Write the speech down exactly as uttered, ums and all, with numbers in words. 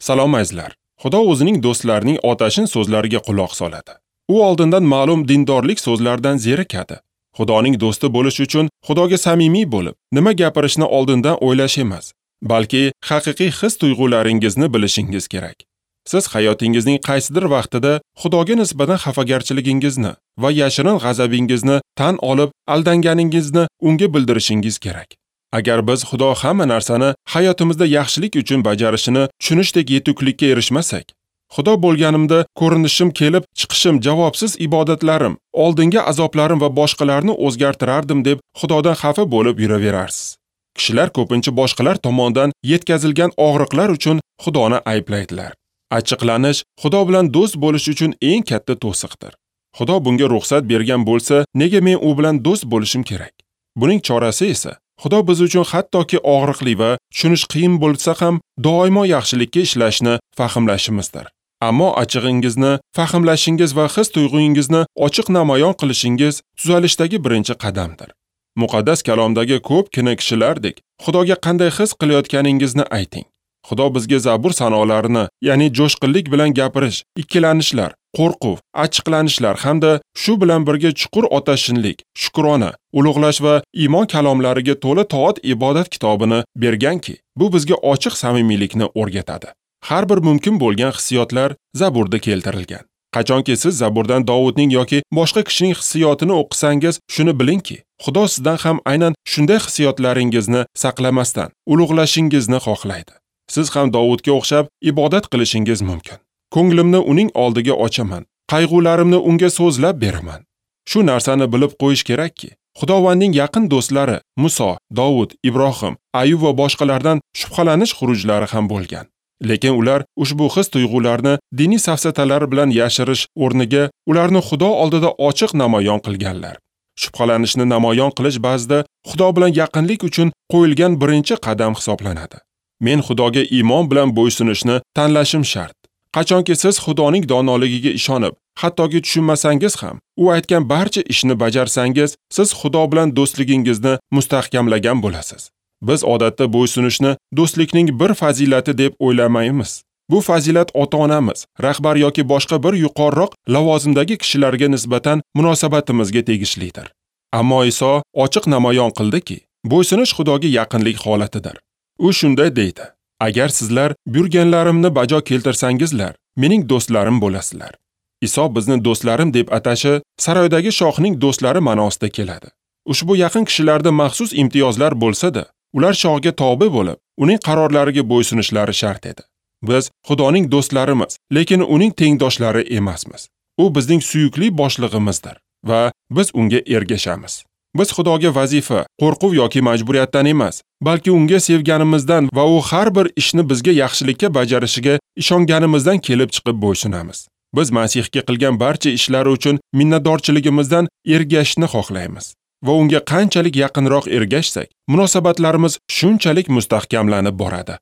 Salom azizlar. Xudo o'zining do'stlarining otashin so'zlariga quloq soladi. U oldindan ma'lum dindorlik so'zlaridan zerikadi. Xudoning do'sti bo'lish uchun Xudoga samimiy bo'lib, nima gapirishni oldindan o'ylash emas, balki haqiqiy his-tuyg'ularingizni bilishingiz kerak. Siz hayotingizning qaysidir vaqtida Xudoga nisbatan xafagarchiligingizni va yashirin g'azabingizni tan olib, aldanganingizni unga bildirishingiz kerak. Agar biz Xudo hamma narsani hayotimizda yaxshilik uchun bajarishini tushunishdek yetuklikka erishmasak, Xudo bo'lganimda ko'rinishim kelib chiqishim, javobsiz ibodatlarim, oldingi azoblarim va boshqalarni o'zgartirardim deb Xudodan xafa bo'lib yuraverarsiz. Kishilar ko'pincha boshqalar tomonidan yetkazilgan og'riqlar uchun Xudoni ayblaydilar. Achchiqlanish Xudo bilan do'st bo'lish uchun eng katta to'siqdir. Xudo bunga ruxsat bergan bo'lsa, nega men u bilan do'st bo'lishim kerak? Buning chorasi esa Xudo biz uchun hattoki og'riqli va tushunish qiyin bo'lsa ham doimo yaxshilikka ishlashni fahmlashimizdir. Ammo achchig'ingizni fahmlashingiz va his-tuyg'ungizni ochiq namoyon qilishingiz tuzalishdagi birinchi qadamdir. Muqaddas kalomdagi ko'pgina kishilardek Xudoga qanday his qilayotganingizni ayting. Xudo bizga Zabur sanolarini, ya'ni jo'shqinlik bilan gapirish, ikkilanishlar, qo'rquv, achchiqlanishlar hamda shu bilan birga chuqur otashinlik, shukrona, ulug'lash va iymon kalomlariga to'la toat ibodat kitobini berganki, bu bizga ochiq samimiylikni o'rgatadi. Har bir mumkin bo'lgan hissiyotlar Zaburda keltirilgan. Qachonki siz Zaburdan Dovudning yoki boshqa kishining hissiyotini o'qisangiz, shuni bilingki, Xudo sizdan ham aynan shunday hissiyotlaringizni saqlamasdan ulug'lashingizni xohlaydi. Siz ham Dovudga o'xshab ibodat qilishingiz mumkin. Ko'nglimni uning oldiga ochaman, qayg'ularimni unga so'zlab beraman. Shu narsani bilib qo'yish kerakki, Xudovandning yaqin do'stlari Muso, Dovud, Ibrohim, Ayub va boshqalardan shubhalanish xurujlari ham bo'lgan. Lekin ular ushbu his-tuyg'ularni diniy safsatalar bilan yashirish o'rniga ularni Xudo oldida ochiq namoyon qilganlar. Shubhalanishni namoyon qilish ba'zida Xudo bilan yaqinlik uchun qo'yilgan birinchi qadam hisoblanadi. Men Xudoga iymon bilan bo'ysunishni tanlashim shart. Qachonki siz Xudoning donoligiga ishonib, hattoki tushunmasangiz ham, u aytgan barcha ishni bajarsangiz, siz Xudo bilan do'stligingizni mustahkamlagan bo'lasiz. Biz odatda bo'ysunishni do'stlikning bir fazilati deb o'ylamaymiz. Bu fazilat ota-onamiz, rahbar yoki boshqa bir yuqoriroq lavozimdagi kishilarga nisbatan munosabatimizga tegishlidir. Ammo Iso ochiq namoyon qildiki, bo'ysunish Xudoga yaqinlik holatidir. U shunday deydi: agar sizlar buyurganlarimni bajo keltirsangizlar, mening do'stlarim bo'lasizlar. Iso bizni do'stlarim deb atashi saroydagi shohning do'stlari ma'nosida keladi. Ushbu yaqin kishilarda maxsus imtiyozlar bo'lsa-da, ular shohga tobe bo'lib, uning qarorlariga bo'ysunishlari shart edi. Biz Xudoning do'stlarimiz, lekin uning tengdoshlari emasmiz. U bizning suyukli boshlig'imizdir va biz unga ergashamiz. Biz Xudoga vazifa, qo'rquv yoki majburiyatdan emas, balki unga sevganimizdan va u har bir ishni bizga yaxshilikka bajarishiga ishonganimizdan kelib chiqib bo'ysunamiz. Biz Masihga qilgan barcha ishlari uchun minnatdorchiligimizdan ergashishni xohlaymiz va unga qanchalik yaqinroq ergashsak, munosabatlarimiz shunchalik mustahkamlanib boradi.